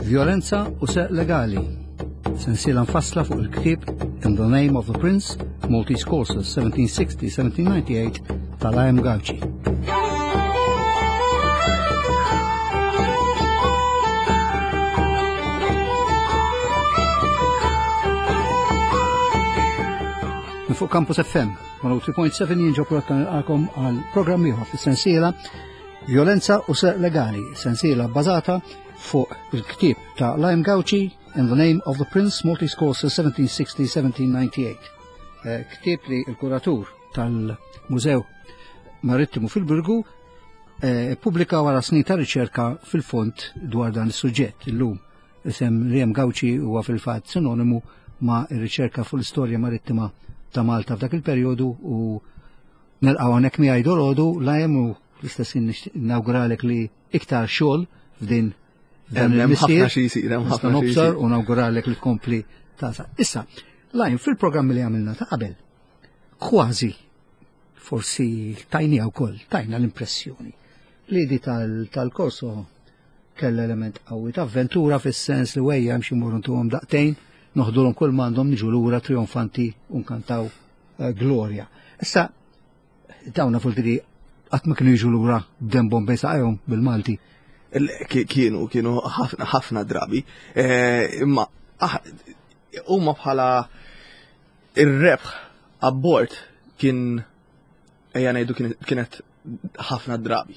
Violenza u Serq Legali. Sensiela mfassla fuq il-ktieb In the Name of the Prince, Maltese Courses 1760-1798 tal-IM Gauci. Minn fuq Campus FM 103.7 jien ġoprot nilqakom għal programm ieħor fis-sensiela Violenza u Serq Legali, sensiela bbażata fuq il-ktieb ta' Lime Gauci In the Name of the Prince Maltese Courses 1760-1798. Eh, ktieb li il-kuratur tal-Mużew Marittimu fil-Birgu eh, pubblika wara snin ta' riċerka fil-fond dwar dan is-suġġett illum. Isem Liam Gauci huwa fil-fatt sinonimu ma' ir-riċerka fuq l-istorja marittima ta' Malta f'dak il-perjodu u nelqgħu hawnhekk miegħi dolodu Liam u l-istess nawguralek li iktar xogħol f'din dan il-missier. Xi jsir, hemm ħafna nobsor u nawguralek li tkompli ta' Issa, Liam fil-programmi li għamilna ta' qabel, kważi forsi tajnija wkoll, tajna l-impressjoni li di tal-korso kellha element qawwi ta' avventura fis-sens li wejja hemm xi mmorru ntuhom daqtejn, noħdulhom kull m'għandhom niġu lura trionfanti u nkantaw eh, glorja. Issa dawna fultiri qatt ma kienu jiġu lura b'dembhom bejn saqajhom bil-Malti. Kienu, kienu ħafna drabi, eh, imma ah, huma bħala ir-rebħ abbord kien ejja ngħidu kienet ħafna drabi.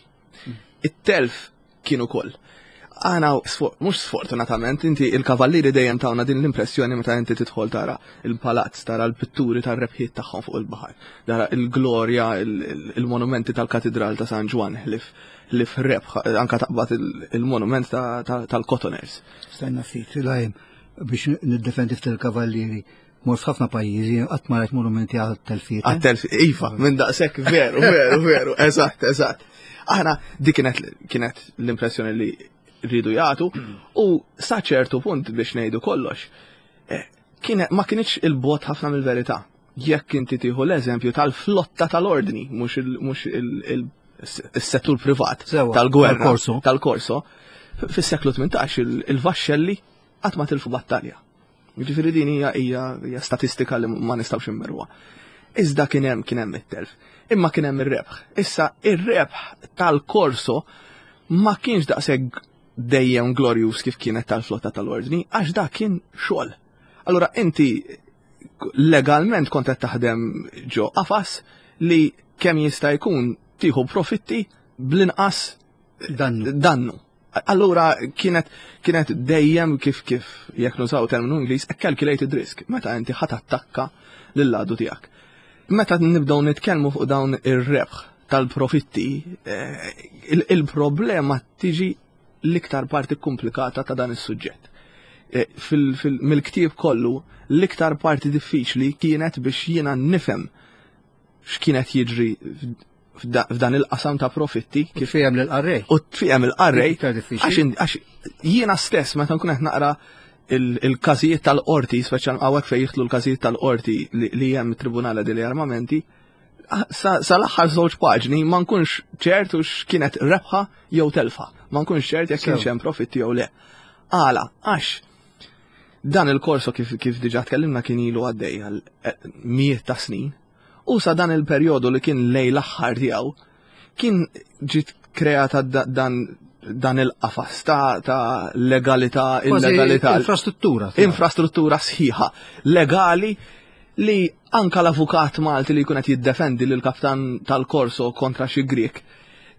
It-telf kien ukoll. Aħna mhux sfortunatament inti il-kavallieri dejjem tawna din l-impressjoni meta inti tidħol tara il-palazz, tara l-pitturi tar-rebħiet tagħhom fuq il-baħar, tara il-glorja, il-monumenti tal-Katidral ta' San Ġwann ħlief ħlief rebħ, anka taqbad il-monument tal-Cotoners. Stenna ftit, lajm biex niddefendi ftit il-kavallieri. Mort f'ħafna pajjiżi qatt ma rajt monumenti għal telfiet. Għal telfiet, iva, minn daqshekk veru, veru, veru, eżatt, eżatt. Aħna dik kienet kienet l-impressjoni li rridu jagħtu u sa ċertu punt biex ngħidu kollox. Eh, kienet ma kienx il-bot ħafna mill-verità. Jekk inti tieħu l-eżempju tal-flotta tal-ordni, mhux il-settur privat tal-gwerra tal-korso, fis-seklu 18 il-vaxxelli qatt ma tilfu battalja. Jiġifieri din hija hija statistika li ma nistgħux immerwa. Iżda kien hemm kien hemm it-telf. Imma kien hemm ir-rebħ. Issa ir-rebħ tal-korso ma kienx daqshekk dejjem glorjus kif kienet tal-flotta tal-ordni, għax dak kien xogħol. Allura inti legalment kont qed taħdem ġo qafas li kemm jista' jkun tieħu profitti bl-inqas dannu. dannu. Allura kienet kienet dejjem kif kif jekk nużaw terminu Ingliż a calculated risk meta inti ħadd attakka lill-għadu tiegħek. Meta nibdew nitkellmu fuq dawn ir-rebħ tal-profitti, eh, il-problema tiġi l-iktar parti komplikata ta' dan is-suġġett. Eh, mill-ktieb kollu, l-iktar parti diffiċli kienet biex jiena nifhem x'kienet jiġri f'dan il-qasam ta' profitti. Kif fihem lill-qarrej. U tfihem il-qarrej. Għax jiena stess meta nkun qed naqra il-każijiet tal-qorti, speċjal hawnhekk fejn jidħlu l-każijiet tal-qorti li hemm it-Tribunale degli Armamenti, sal-aħħar żewġ paġni ma nkunx ċert u x'kienet rebħa jew telfa. Ma nkunx ċert jekk kienx hemm profitti jew le. Għala, għax dan il-korso kif, kif diġa tkellimna kien ilu għaddej għal eh, mijiet ta' snin, U sa dan il-perjodu li kien lej l-aħħar tiegħu, kien ġiet kreata dan dan il-qafas ta', ta legalità, illegalità. Infrastruttura. Infrastruttura sħiħa, legali li anka l-avukat Malti li jkun qed jiddefendi lil kaptan tal-korso kontra xi Grieg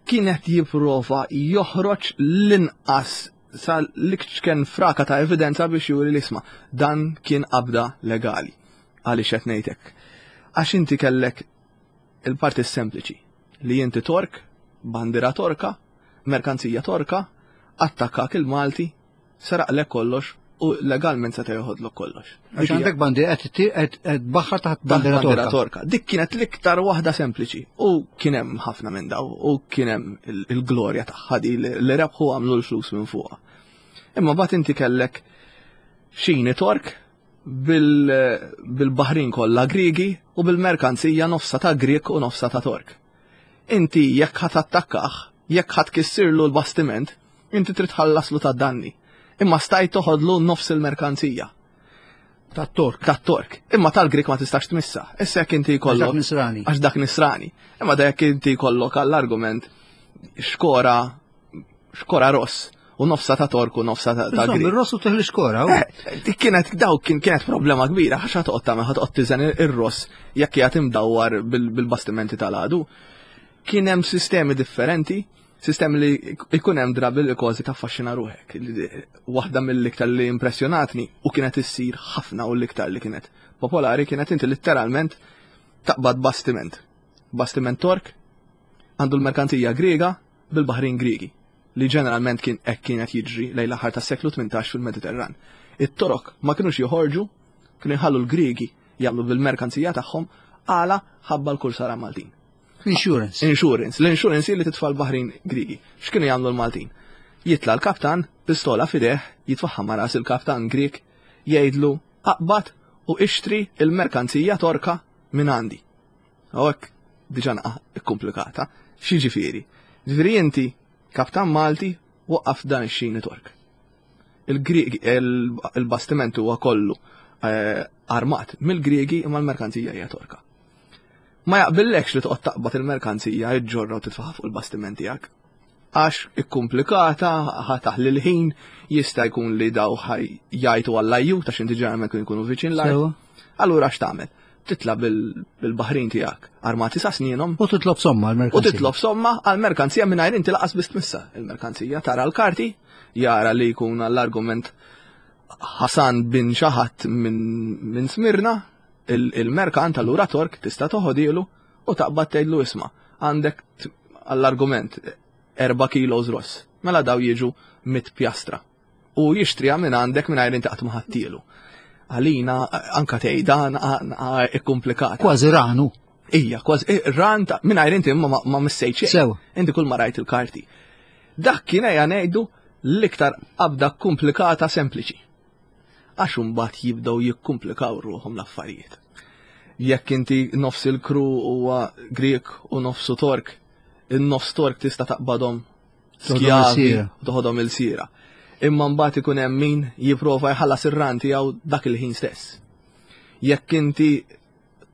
kienet jipprova joħroġ l-inqas sa l-ikċken fraka ta' evidenza biex juri l-isma. Dan kien qabda legali. Għaliex qed ngħid hekk? Għax inti kellek il-parti sempliċi li inti Tork, bandiera Torka, merkanzija Torka, attakkak il-Malti, seraqlek kollox u legalment seta' joħodlok kollox. Għax għandek bandiera qed tbaħħar taħt bandiera Torka. Torka. Dik kienet l-iktar waħda sempliċi u kien hemm ħafna minn daw u kien hemm il-glorja tagħha di li rebħu għamlu l-flus minn fuqha. Imma bat inti kellek xini Tork bil-baħrin kollha Griegi u bil-merkanzija nofsa ta' Grieg u nofsa ta' Tork. Inti jekk ħadd attakkah, jekk ħadd kissirlu l-bastiment, inti trid tħallaslu ta' danni. Imma stajt toħodlu nofs il-merkanzija. Tat-Tork. Tat-Tork. Imma tal-Grik ma tistax tmissa. Issa jekk inti jkollok. Għax dak nisrani. Għax dak nisrani. Imma da jekk inti jkollok għall-argument xkora xkora ross u nofsa ta' Tork u nofsa ta' Grik. Ir-ross u teħli xkora. Eh, dik kienet daw kien kienet problema kbira għax ħa toqgħod tagħmel ħa toqgħod tiżen ir-ross jekk qiegħed imdawwar bil-bastimenti tal-għadu. Kien hemm sistemi differenti Sistemi li jkun hemm drabi li kważi taffaxxina ruħek. Waħda mill-iktar li impressjonatni u kienet issir ħafna u l-iktar li kienet popolari kienet inti letteralment taqbad bastiment. Bastiment Tork għandu l-merkanzija Griega bil-baħrin Griegi li ġeneralment kien hekk kienet jiġri lejn l-aħħar tas-seklu 18 fil-Mediterran. It-Torok ma kinux joħorġu, kienu jħallu l-Griegi jagħmlu bil-merkanzija tagħhom għala ħabba l-kursara Maltin. Insurance. Insurance. L-insurance li titfa' l-baħrin Grigi. X'kienu jagħmlu l-Maltin? Jitla' l-kaptan, pistola f'idejh, jitfaħħa ma' ras il-kaptan Grieg, jgħidlu aqbad u ixtri il-merkanzija Torka minn għandi. U hekk diġà naqa' ikkumplikata. X'jiġifieri? Ġifieri inti kaptan Malti waqqaf dan ix-xini Tork. Il-Griegi il-bastiment huwa kollu eh, armat mill-Griegi imma l-merkanzija hija Torka. Ma jaqbillekx li toqgħod taqbad il-merkanzija iġġorra u titfaħa fuq il-bastiment tiegħek. Għax ikkumplikata, ħa taħli l-ħin, jista' jkun li daw ħaj jgħajtu għall-ajjut għax inti ġeneralment kienu jkunu viċin l-art. Allura x'tagħmel? Titla' bil-baħrin tiegħek armati sa snienhom. U titlob somma għall-merkanzija. U titlob somma għall-merkanzija mingħajr inti laqas biss tmissha il-merkanzija. Tara l-karti, jara li jkun għall-argument Hasan bin xaħat minn Smirna, il-merkant allura Tork tista' toħodilu u taqbad tgħidlu isma' għandek għall-argument 4 kilos ross. Mela daw jiġu mit pjastra. U jixtriha minn għandek mingħajr inti qatt ma ħadtielu. Għalina anka tgħidha ikkumplikata. Kważi ranu. Ija, kważi ran ta' mingħajr inti ma, ma missejt xejn. Sew. Inti kull ma rajt il-karti. Dak kien ejja ngħidu l-iktar qabda komplikata sempliċi. Għax imbagħad jibdew jikkumplikaw ruħhom l-affarijiet. Jekk inti nofs il-kru huwa Grieg u nofsu Tork, in-nofs Tork tista' taqbadhom skjavi u toħodhom il-sira. Imma mbagħad ikun hemm min jipprova jħallas ir-ran tiegħu dak il-ħin stess. Jekk inti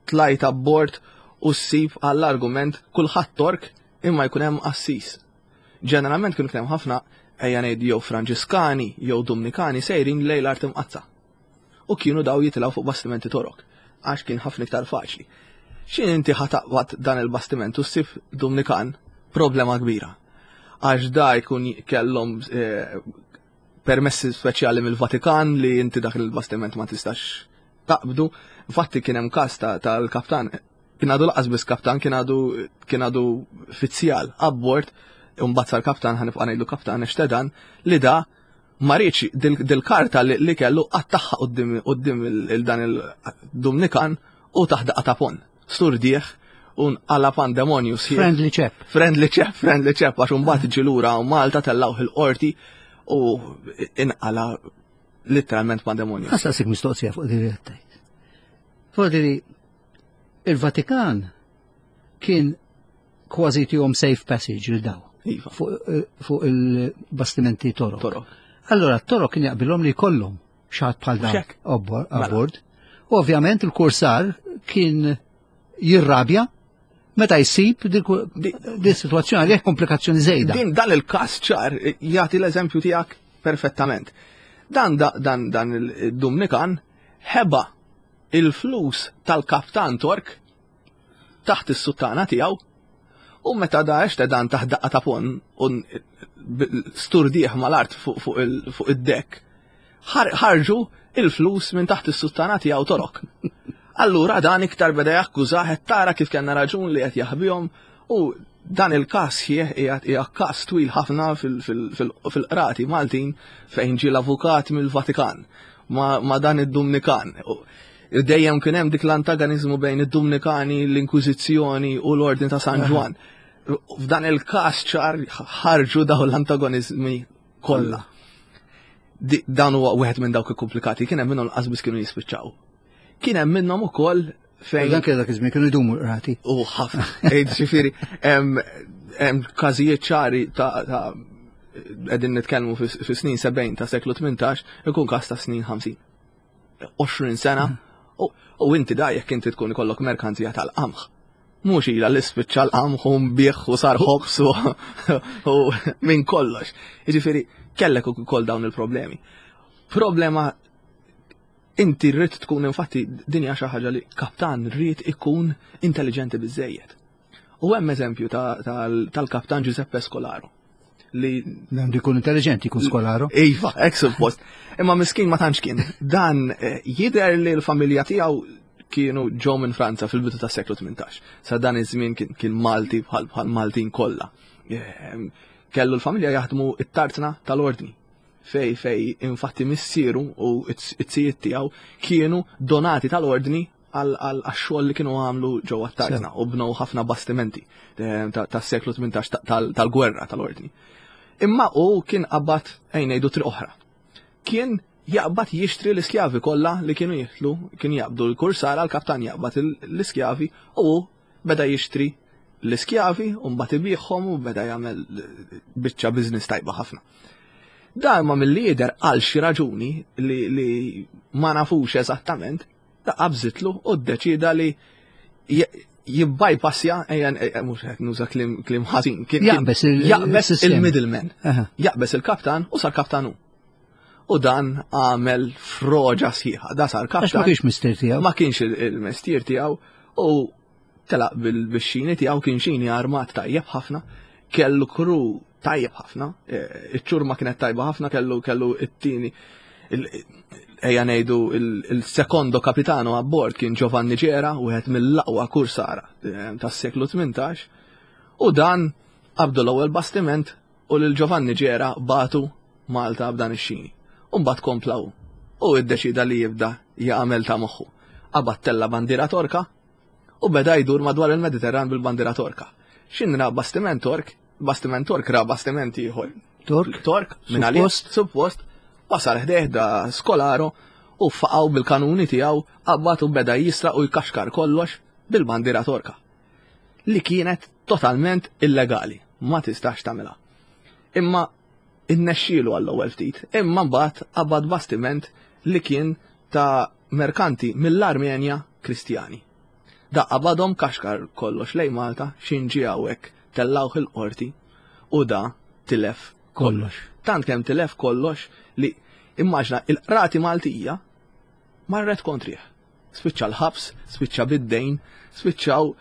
tlajt abbord u ssib għall-argument kulħadd Tork imma jkun hemm qassis. Ġeneralment kienu hemm ħafna ejja ngħid jew Franġiskani jew Dumnikani sejrin lejn l-art imqaddsa. U kienu daw jitilgħu fuq bastimenti Torok għax kien ħafna iktar faċli. X'in inti ħa taqbad dan il-bastiment u ssib Dumnikan, problema kbira. Għax da jkun kellhom eh, permessi speċjali mill-Vatikan li inti dak il-bastiment ma tistax taqbdu. Infatti kien hemm każ tal-kaptan kien għadu laqas biss kaptan, kien għadu kien għadu fizzjal abbord, imbagħad sar kaptan ħanibqa' ngħidlu kaptan Extedan li da ma riedx dil-karta li kellu qattagħha quddiem il-dan il-Dumnikan u taħ daqqa ta' pon. Sturdieħ u nqala pandemonju sħiħ. Friendly chap. Friendly chap, friendly chap, għax imbagħad ġie lura Malta tellgħuh il-qorti u inqala letteralment pandemonju. Ħa nsaqsik mistoqsija fuq din li qed tgħid. Fuq din il-Vatikan kien kważi tihom safe passage lil daw. Iva. Fuq eh, fu il-bastimenti Torok. Torok. Allora t-Torok kien jaqbilhom li jkollhom xaħat bħal dawn Xek. Mela. abbord. U ovvjament il-kursar kien jirrabja meta jsib din situazzjoni għalih komplikazzjoni żejda. Din dan il-każ ċar jagħti l-eżempju tiegħek perfettament. Dan dan dan il-Dumnikan ħeba il-flus tal-kaptan Tork taħt is-suttana tiegħu u meta da dan taħt daqqa ta' pon u sturdieħ mal-art fuq id-dekk ħarġu il-flus minn taħt is-suttana tiegħu Torok. Allura dan iktar beda jakkużah qed tara kif kellna raġun li qed jaħbihom u dan il-każ qiegħed hija każ twil ħafna fil-qrati Maltin fejn ġie l-avukat mill-Vatikan ma' dan id-Dumnikan. Dejjem kien hemm dik l-antagonizmu bejn id-Dumnikani, l-Inkwiżizzjoni u l-Ordni ta' San Ġwann. F'dan il-każ ċar ħarġu dawn l-antagonizmi kollha. Dan huwa wieħed minn dawk ikkumplikati, kien hemm minnhom lanqas biss kienu jispiċċaw. Kien hemm minnhom ukoll fejn. Dan kien dak iż-żmien kienu jdumu l-qrati. U ħafna. Ġifieri, hemm każijiet ċari ta' Qegħdin nitkellmu fi snin 70 ta' seklu 18, ikun każ ta' snin 50. 20 sena u inti da jekk inti tkun ikollok merkanzija tal-qamħ. Mhux ilha li spiċċa l-qamħ u nbigħ u sar ħobs u minn kollox. Jiġifieri kellek ukoll dawn il-problemi. Problema inti rrid tkun infatti din hija xi ħaġa li kaptan rrid ikun intelligenti biżejjed. U hemm eżempju tal-kaptan Giuseppe Scolaro li għandu jkun intelligenti jkun skolaro. Iva, hekk suppost. Imma miskin ma tantx kien. Dan eh, jidher li l-familja tiegħu kienu ġew minn Franza fil-bidu tas-seklu 18. Sa dan iż-żmien kien Malti bħal Maltin kollha. Ehm, kellu l-familja jaħdmu it-tartna tal-ordni fej fej infatti missieru u it-sijiet tiegħu kienu donati tal-ordni għax-xogħol li kienu għamlu ġewwa t-tartna u bnew ħafna bastimenti eh, tas-seklu 18 tal-gwerra tal-ordni. Imma u kien qabad ejn ngħidu triq oħra. Kien jaqbad jixtri l-iskjavi kollha li kienu jitlu, kien jaqbdu l-kursara, l-kaptan jaqbad l-iskjavi u beda jixtri l-iskjavi u mbagħad ibigħhom u beda jagħmel biċċa business tajba ħafna. Dan ma mill-lider għal xi raġuni li, li ma nafux eżattament, ta' qabżitlu u ddeċida li jibbypassja, ejja mhux qed nuża kliem ħażin, jaqbes il-middleman, jaqbes il-kaptan u sar kaptan hu. U dan għamel froġa sħiħa, da sar kaptan. Ma kienx mistier tiegħu. Ma kienx il-mestier tiegħu u telaq bil-xini tiegħu kien xini armat tajjeb ħafna, kellu kru tajjeb ħafna, e, iċ-ċurma kienet tajba ħafna, kellu kellu it-tieni ejja ngħidu il-sekondo kapitano abbord kien Giovanni Ġera, wieħed mill-aqwa kursara e, tas-seklu 18, u dan qabdu l-ewwel bastiment u lil Giovanni Ġera batu Malta b'dan ix-xini. U mbagħad kompla hu. U iddeċida li jibda jagħmel ta' moħħu. Qabad tella bandiera Torka u beda jdur madwar il-Mediterran bil-bandiera Torka. X'in ra bastiment Tork, bastiment Tork ra bastiment ieħor. Tork? Tork, minn għalih, suppost, wasal ħdejh da Skolaro u faqgħu bil-kanuni tiegħu qabad u beda jisraq u jkaxkar kollox bil-bandiera Torka. Li kienet totalment illegali, ma tistax tagħmilha. Imma innexxielu għall-ewwel ftit, imma mbagħad qabad bastiment li kien ta' merkanti mill-Armenja Kristjani. Da qabadhom kaxkar kollox lejn Malta, x'in ġie hawnhekk tellgħuh il-qorti u da tilef kollox. Tant kemm tilef kollox li immaġna il-qrati Maltija marret kontrih. Spiċċa l-ħabs, spiċċa bid-dejn, spiċċaw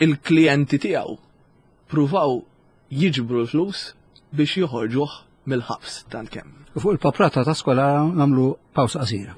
il-klijenti tiegħu pruvaw jiġbru l-flus biex joħorġuh mill-ħabs tant kemm. U fuq il-paprata ta' skola nagħmlu pawsa qasira.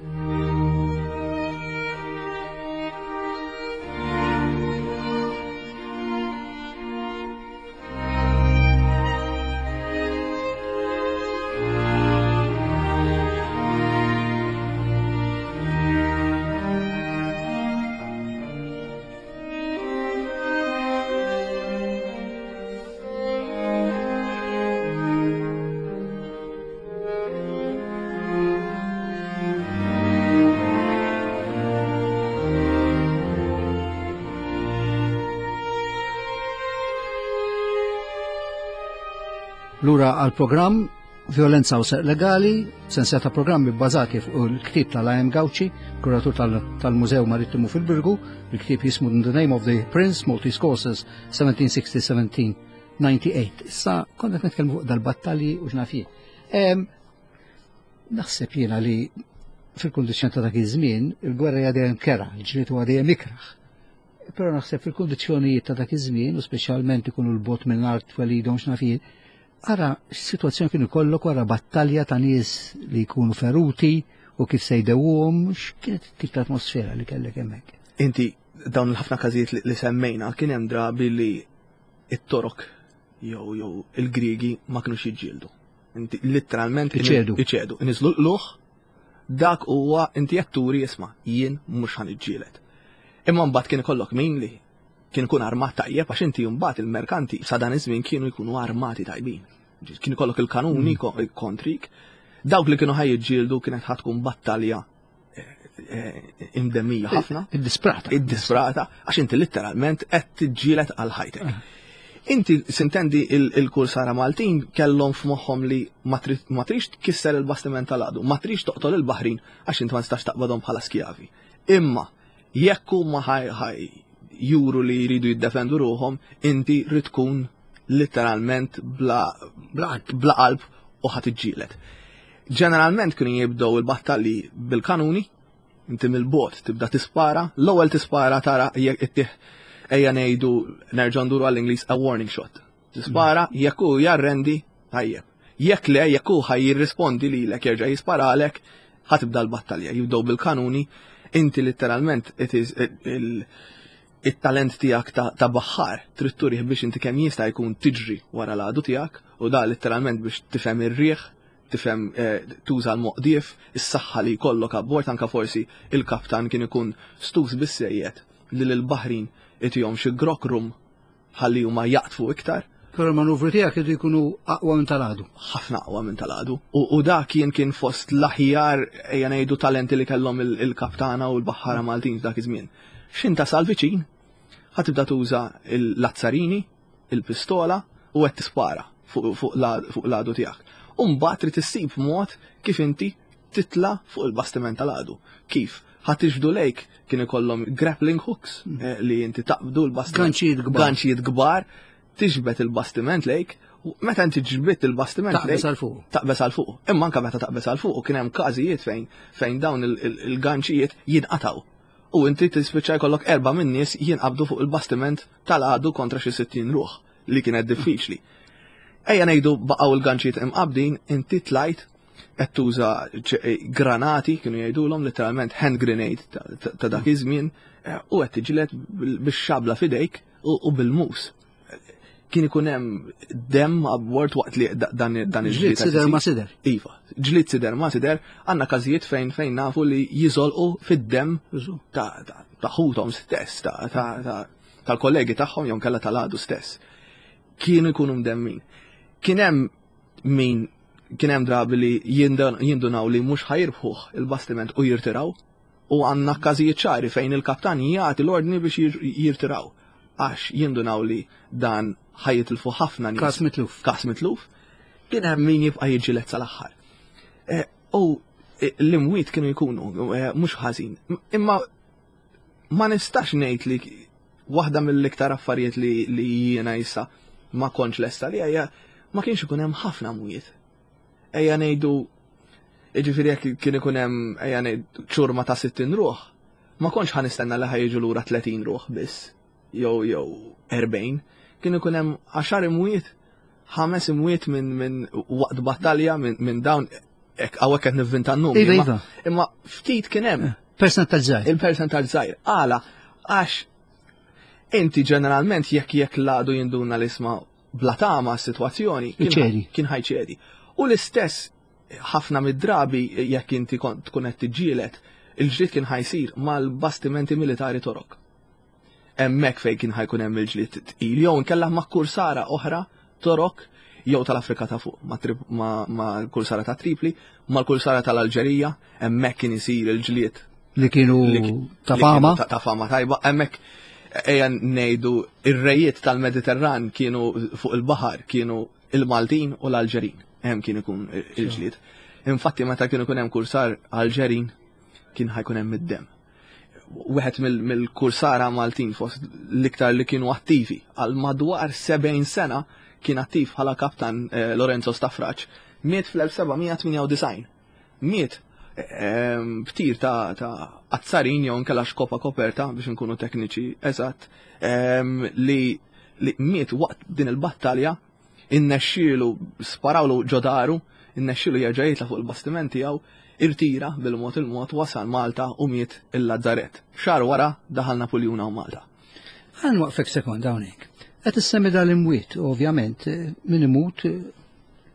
Lura għal programm Violenza u Serq Legali, sensiela ta' programmi bbażati fuq il-ktieb tal-A.M. Gauci, kuratur tal-Mużew Marittimu fil-Birgu, il-ktieb jismu In the Name of the Prince, Maltese Courses 1760-1798. Issa konna qed nitkellmu fuq dal-battalji u x'naf jien. Naħseb jiena li fil-kundizzjoni ta' dak iż-żmien, il-gwerra hija dejjem kera, il-ġlied huwa dejjem ikrah. Però naħseb fil-kundizzjonijiet ta' dak iż-żmien, u speċjalment ikunu l-bot minn art twelidhom x'naf jien, Ara x'sitwazzjoni kien ikollok wara battalja ta' nies li jkunu feruti u kif se jdewwuhom, x'kienet it-tip ta' atmosfera li kellek hemmhekk? Inti dawn il-ħafna każijiet li semmejna kien hemm drabi li it-Torok jew jew il-Griegi ma kinux jiġġieldu. Inti letteralment iċedu. Iċedu. Niżlu l-qluħ dak huwa inti qed turi isma' jien mhux ħa niġġieled. Imma mbagħad kien ikollok min li Kien ikun armat tajjeb għax inti mbagħad il-merkanti sa dan iż-żmien kienu jkunu armati tajbin. Kien ikollok il-kanuni mm. kontrik. Dawk li kienu ħaj jiġġieldu kienet ħad tkun battalja eh, eh, imdemmija ħafna. Id-disprata. Id-disprata, għax inti letteralment qed tiġġieled għal ħajtek. Eh. Inti sintendi il-kursara Maltin kellhom f'moħħhom li ma trix tkisser il-bastiment tal-għadu, ma trix toqtol il-baħrin għax inti ma tistax taqbadhom bħala skjavi. Imma jekk huma ħaj juru li jridu jiddefendu ruħhom, inti rrid tkun literalment bla bla qalb u ħadd iġġieled. Ġeneralment kienu jibdew il-battalji bil-kanuni, inti mill-bot tibda tispara, l-ewwel tispara tara jekk ittih ejja ngħidu nerġa' nduru għall-Ingliż a warning shot. Tispara jekk hu jarrendi tajjeb. Jekk le, jekk hu ħaj jirrispondi lilek jerġa' jisparalek, ħa tibda l-battalja. Jibdew bil-kanuni, inti literalment it is it-talent tiegħek ta' baħħar trid turih biex inti kemm jista' jkun tiġri wara l-għadu tiegħek u da literalment biex tifhem ir-riħ, tifhem eh, tuża l-moqdief, is-saħħa li jkollok abbord anka forsi il-kaptan kien ikun stus bissejjed li lill-baħrin itihom xi grok rum ħalli huma jaqtfu iktar. Però l-manuvri tiegħek iridu jkunu aqwa minn tal-għadu. Ħafna aqwa minn tal-għadu. U dak kien kien fost l-aħjar ejja ngħidu talenti li kellhom il-kaptana u l-baħħara Maltin f'dak iż-żmien. X'in tasal viċin, ħa tibda tuża l-azzarini, il-pistola u qed tispara fuq l-għadu tiegħek. U mbagħad trid issib mod kif inti titla' fuq il-bastiment tal-għadu. Kif? Ħa tiġbdu lejk kien ikollhom grappling hooks mm. eh, li inti taqbdu l-bastiment. Ganċijiet kbar. Ganċijiet kbar, tiġbed il-bastiment lejk, meta inti ġbidt il-bastiment lejk. Taqbeż għal fuq. Taqbeż għal fuq. Imma anke meta taqbeż għal fuq kien hemm każijiet fejn fejn dawn il-ganċijiet jinqataw. U inti tispiċċa jkollok erba' minn nies jinqabdu fuq il-bastiment tal-għadu kontra xi 60 ruħ li kienet diffiċli. Ejja ngħidu baqgħu l-ganċijiet imqabdin, inti tlajt qed tuża eh, granati kienu jgħidulhom literalment hand grenade ta' dak iż-żmien eh, u qed tiġilet bix-xabla f'idejk u bil-mus. Kien ikun hemm dem abbord waqt li dan dan il-ġlied. Sider ma sider. Iva, ġlied sider ma sider, għandna każijiet fejn fejn nafu li jiżolqu fid-dem ta' ħuthom stess, tal-kollegi tagħhom jew kellha tal-għadu stess. Kienu jkunu mdemmin. Kien hemm min kien hemm drabi li jindunaw li mhux ħajirbħuh il-bastiment u jirtiraw u għandna każijiet ċari fejn il-kaptan jagħti l-ordni biex jirtiraw għax jindunaw li dan ħajitilfu ħafna nies. Kas mitluf. Kas mitluf. Kien hemm min jibqa' jiġġieled sal-aħħar. Eh, u eh, l-imwiet kienu jkunu eh, mhux ħażin. Imma ma nistax ngħid li waħda mill-iktar affarijiet li, li jiena issa ma kontx lesta li hija ma kienx ikun hemm ħafna mwiet. Ejja ngħidu jiġifieri jekk kien ikun hemm ejja ngħid ċurma ta' 60 ruħ, ma kontx ħa nistenna li ħajġu lura 30 ruħ biss jew jew 40. Kien ikun hemm 10 imwiet, ħames imwiet minn min waqt battalja minn min dawn Hawnhekk qed nivvinta n-numri. Iva, iva. Imma ftit kien hemm. Eh, percentaġġ żgħir. Il-percentaġġ żgħir. Għala, għax inti ġeneralment jekk jekk l-għadu jinduna l-isma bla tama s-sitwazzjoni kien ħajċedi. U l-istess ħafna mid-drabi jekk inti tkun qed tiġġieled, il-ġlied kien ħajsir mal-bastimenti militari torok. Hemmhekk fejn kien ħajkun hemm il-ġlied tqil jew inkella ma' kursara oħra Torok jew tal-Afrika ta' fuq ma' kursara ta' Tripli, mal-kursara tal-Alġerija, hemmhekk kien isir il-ġlied. Li kienu ta' fama. Ta' fama tajba, hemmhekk ejja ngħidu ir-rejiet tal-Mediterran kienu fuq il-baħar kienu il-Maltin u l-Alġerin. Hemm kien ikun il-ġlied. Infatti meta kienu ikun hemm kursar Alġerin kien ħajkun hemm id-demm. wieħed mill-kursara Maltin fost l-iktar li kienu attivi għal madwar 70 sena kien attiv bħala kaptan eh, Lorenzo Stafraċ. Miet fl-1798. Miet eh, b'tir ta', ta azzarin jew nkella xkopa koperta biex nkunu tekniċi eżatt eh, li, li miet waqt din il-battalja Innexxielu, sparawlu ġo daru, innexxielu jerġa' jitla' fuq il-bastiment tiegħu, irtira bil-mod il-mod wasal Malta u miet il-Lazzarett. Xahar wara daħal Napuljun hawn Malta. Ħa nwaqqfek sekonda hawnhekk. Qed issemmi dal-imwiet, ovvjament, min imut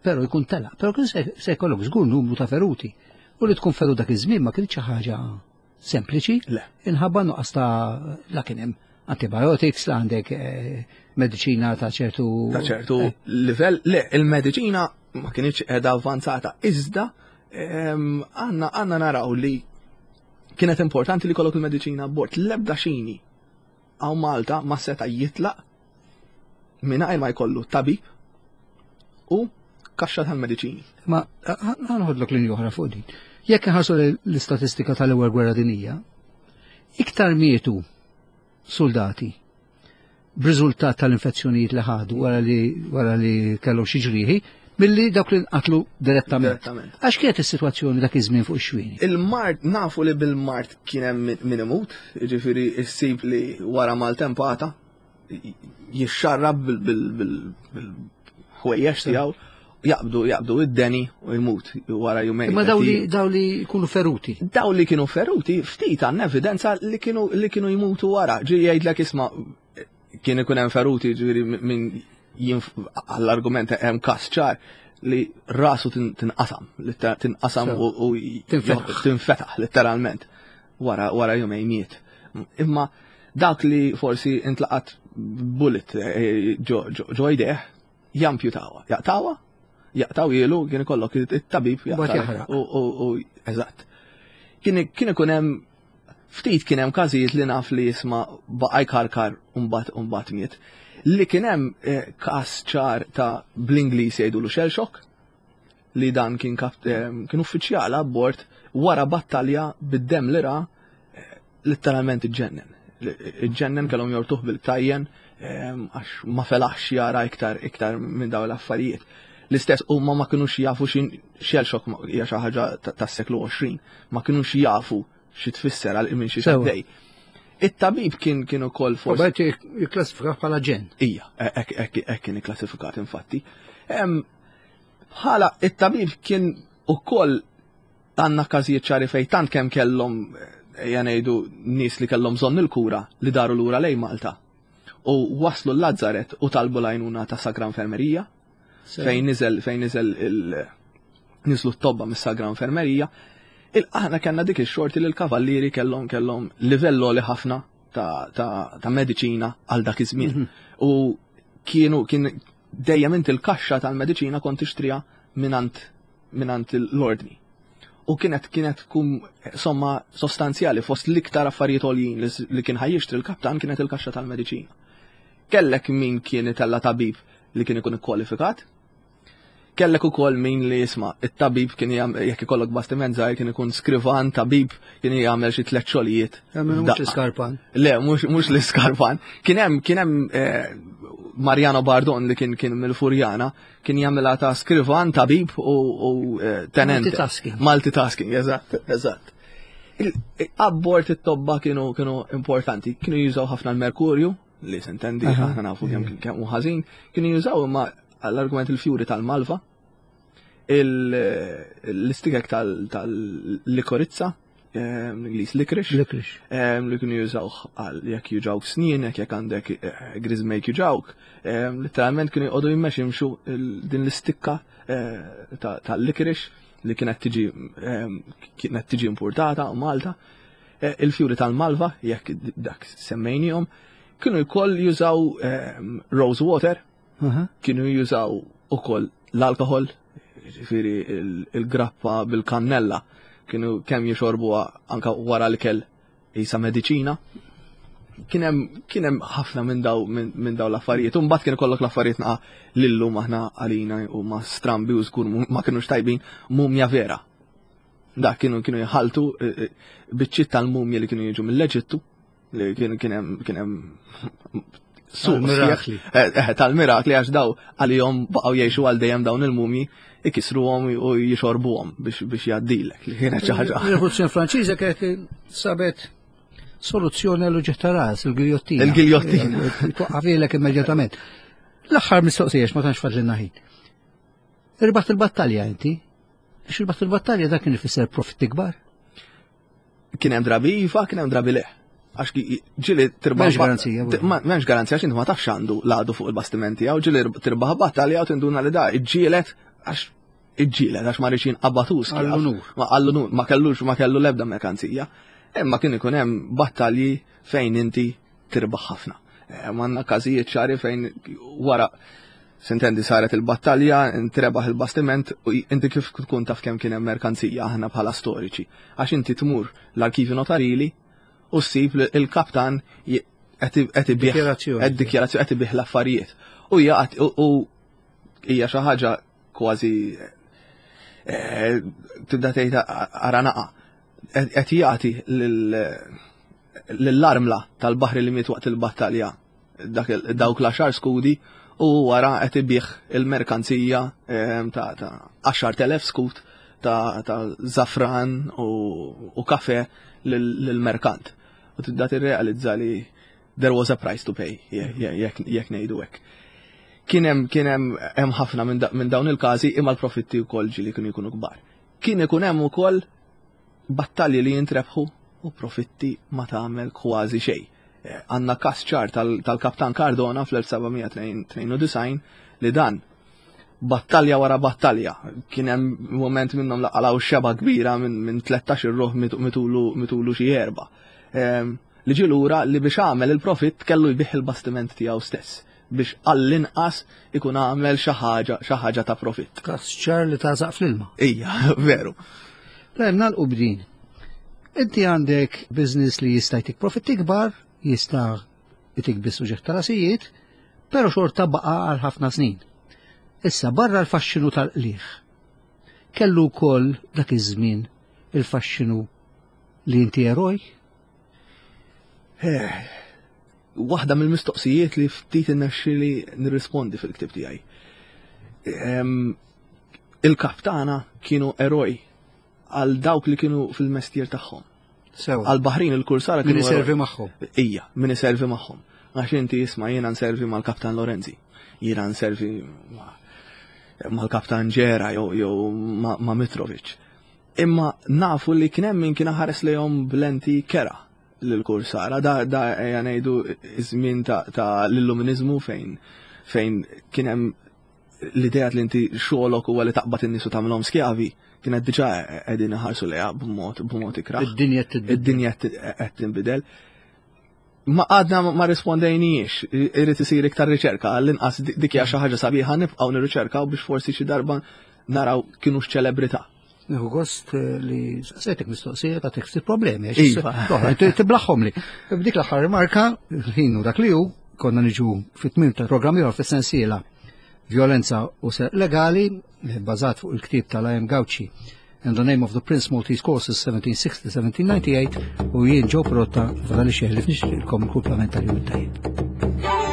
però jkun telaq, però kien se jkollok żgur numru ta' feruti. U li tkun ferut dak iż-żmien ma kienx xi ħaġa sempliċi, Le. Inħabba nuqqas ta' la kien hemm antibiotics, la għandek eh, mediċina ta' ċertu. Ta' ċertu eh. livell, le, il-mediċina ma kienx qiegħda avvanzata, iżda ehm, għandna għandna naraw li kienet importanti li kollok il-mediċina abbord. L-ebda xini għaw Malta ma seta jitlaq mingħajr ma jkollu tabib u kaxxa tal-mediċini. Ma ħanħodlok linja oħra fuq din. Jekk inħarsu l-istatistika tal-ewwel gwerra dinija, iktar mietu soldati b'riżultat tal-infezzjonijiet li ħadu wara li wara li kellhom xi ġrieħi milli dawk li nqatlu direttament. Għax kienet is-sitwazzjoni dak iż-żmien fuq ix-xwieni? Il-mard nafu li bil-mard kien hemm min imut, jiġifieri ssib li wara maltempata jixxarrab bil-ħwejjeġ tiegħu jaqbdu jaqbdu id-deni u jmut wara jumejn. Ma daw li daw li jkunu feruti. Daw li kienu feruti ftit għandna evidenza li kienu li kienu jmutu wara. Ġi jgħidlek isma' kien ikun hemm feruti ġifieri minn għall-argument hemm każ ċar li rasu tinqasam, tinqasam u tinfetaħ letteralment wara wara jumejn miet. Imma dak li forsi intlaqat bullet eh, ġo jdejh jampjutawa, jaqtawa, jaqtaw jilu kien ikollok it-tabib jaqtaw. U eżatt. Kien ikun hemm ftit kien hemm każijiet li naf li jisma' baqa' jkarkar u mbagħad u mbagħad miet. Li kien hemm eh, każ ċar ta' bl-Ingliż jgħidulu shell shock, li dan kien eh, kien uffiċjal abbord wara battalja bid-dem li ra eh, letteralment iġġennen. Iġġennen kellhom jortuh bil-ktajjen għax ma felaħx jara iktar iktar minn dawn l-affarijiet. L-istess huma ma kinux jafu xi shell shock hija xi ħaġa tas-seklu 20, ma kinux jafu xi tfisser għal minn xi xaddej. It-tabib kien kien ukoll forsi. Bajt jikklassifika bħala ġen. Ija, hekk kien ikklassifikat infatti. Bħala it-tabib kien ukoll għandna każijiet ċari fejn tant kemm kellhom ejja ngħidu nies li kellhom bżonn il-kura li daru lura lejn Malta u waslu l-Lazzaret u talbu l-għajnuna ta' Sagra Infermerija fejn niżel fejn niżel il niżlu t-tobba mis-Sagra Infermerija. Aħna kellna dik ix-xorti li l-kavallieri kellhom kellhom livell li ħafna ta', ta, ta mediċina għal dak iż-żmien. Mhm. U kienu kien dejjem inti l-kaxxa tal-mediċina kont tixtriha minant minant l-ordni. U kienet kienet tkun somma sostanzjali fost l-iktar affarijiet għoljin li kien ħajjixtri l-kaptan kienet il-kaxxa tal-mediċina. Kellek min kien itella tabib li kien ikun ikkwalifikat, Kellek ukoll min li jisma' it-tabib kien jekk ikollok bastiment żgħir kien ikun skrivan tabib kien jagħmel xi tliet xogħlijiet. Mhux l-iskarpan. Le, mhux l-iskarpan. Kien hemm kien hemm eh, Mariano Bardon li kien kien mill-Furjana kien jagħmilha ta' skrivan tabib u eh, tenent. Multitasking. Multitasking, eżatt, eżatt. Abbord it-tobba kienu kienu importanti, kienu jużaw ħafna l-merkurju, li sentendi, aħna nafu kemm kemm hu ħażin, kienu jużaw imma għall-argument il-fjuri tal-malva, l-istikek tal-likorizza, ehm, l-Ingliż licorice, ehm, li kienu jużawh għal jekk juġawk snien, jekk għandek eh, griżmejk juġawk, ehm, letteralment kienu jqogħdu jimmex jimxu din l-istikka eh, tal-licorice li kienet tiġi kienet tiġi importata Malta. Eh, il-fjuri tal-malva, jekk dak semmejnihom, kienu jkoll jużaw rose water, kienu jużaw ukoll l-alkohol, ġifieri il-grappa bil-kannella, kienu kemm jixorbuha anka wara l-ikel jisa mediċina. Kien hemm ħafna minn daw minn daw l-affarijiet. U mbagħad kien ikollok l-affarijiet naqa' lillum aħna għalina u ma strambi u żgur ma kinux tajbin mumja vera. Dak kienu kienu jħaltu eh, eh, biċċiet tal-mumja li kienu jiġu mill-Eġittu li kien kien hemm kien hemm suq mirakli. Eh, tal-mirakli għax daw għalihom baqgħu jgħixu għal dejjem dawn il-mumji ikisruhom u jixorbuhom biex biex jgħaddilek li kienet xi ħaġa. Il-Rivoluzzjoni Franċiża kienet sabet soluzzjoni għal uġigħ ta' ras, il-giljottina. Il-giljottina. Twaqqafilek immedjatament. L-aħħar mistoqsija ma tantx fadlilna ħin. Irbaħt il-battalja inti? Biex irbaħt il-battalja dak kien ifisser profitti kbar. Kien hemm drabi iva, kien hemm drabi le. Għax ġieli tirbaħ. M'hemmx garanzija. M'hemmx garanzija għax inti ma tafx għandu l-għadu fuq il-bastimenti għaw ġieli tirbaħ battalja u tinduna li da iġġielet għax iġġielet għax ma rridx jinqabatus. Għall-unur. Ma għall-unur, ma kellux ma kellu l-ebda merkanzija. Imma kien ikun hemm battalji fejn inti tirbaħ ħafna. Eh, Manna każijiet ċari fejn wara sintendi saret il-battalja, intrebaħ il-bastiment u inti kif tkun taf kemm kien hemm merkanzija aħna bħala storiċi. Għax inti tmur l-arkivi notarili u ssib li il-kaptan qed ibih dikjarazzjoni qed ibih l-affarijiet. U hija xi ħaġa kważi eh, tibda tgħid ara naqa' qed jagħti lill-armla tal-baħri li miet waqt il-battalja dawk l-għaxar skudi u wara qed ibih il-merkanzija ehm, ta' 10,000 skut ta' zafran u kafe lill-merkant. U tibda tirrealizza li there was a price to pay, jekk ngħidu hekk. Kien hemm kien hemm hemm ħafna minn dawn il-każi imma l-profitti wkoll ġieli kienu jkunu kbar. Kien ikun hemm ukoll battalji li jintrebħu u profitti ma tagħmel kważi xejn. Eh, għandna każ ċar tal-Kaptan Cardona fl-1792 li dan battalja wara battalja. Kien hemm moment minnhom laqalaw xeba kbira minn 13 ruħ mitulu xi erba. Ehm, li ġie lura li biex għamel il-profitt kellu jbigħ il-bastiment tiegħu stess biex għall-inqas ikun għamel xi ħaġa xi ħaġa ta' profitt. Każ ċar li tażaq fl-ilma. Ija, veru. Tajjeb nagħlqu b'din. Inti għandek business li jista' jtik profitti kbar, jista' jtik biss uġigħ ta' rasijiet, però xorta baqa' għal ħafna snin. Issa barra l-faxxinu tal-qligħ. Kellu wkoll dak iż-żmien il-faxxinu li inti eroj? Eh, waħda mill-mistoqsijiet li ftit innexxili nirrispondi fil-ktib tiegħi. Il-kaptana kienu eroj għal dawk li kienu fil-mestier tagħhom. Sewa. Għal baħrin il-kursara kienu. Min iservi magħhom. Ija, min iservi magħhom. Għax inti jisma' jiena nservi mal-Kaptan Lorenzi, jiena nservi mal-Kaptan Ġera jew ma' Mitrovic. Imma nafu li kien hemm min kien ħares lejhom b'lenti kera lill-kursara. Da da ejja ngħidu iż-żmien ta', ta l-illuminizmu fejn fejn kien hemm l-idea li inti xogħolok huwa li taqbad in-nies u tagħmilhom skjavi kienet diġà qegħdin iħarsu lejha b'mod b'mod ikrah. Id-dinja qed Id-dinja qed tinbidel. Ma għadna ma rispondejniex, irid isir iktar riċerka, għall-inqas dik hija xi ħaġa sabiħa nibqgħu nirriċerkaw biex forsi xi darba naraw kienu x'ċelebrità. Nieħu gost eh, li saqsejtek mistoqsija ta' ftit problemi. Iva. Tiblaħħom li. B'dik l-aħħar rimarka, ħin u dak li hu, konna niġu fit-tmiem tal-programm ieħor fis-sensiela Violenza u Serq Legali, eh, bbażat fuq il-ktieb tal-IM Gauci In the Name of the Prince Maltese Courses 1760-1798 u jien Joe Perotta fadali xeħli nixtieqilkom il-kumplament tal-jum it-tajjeb.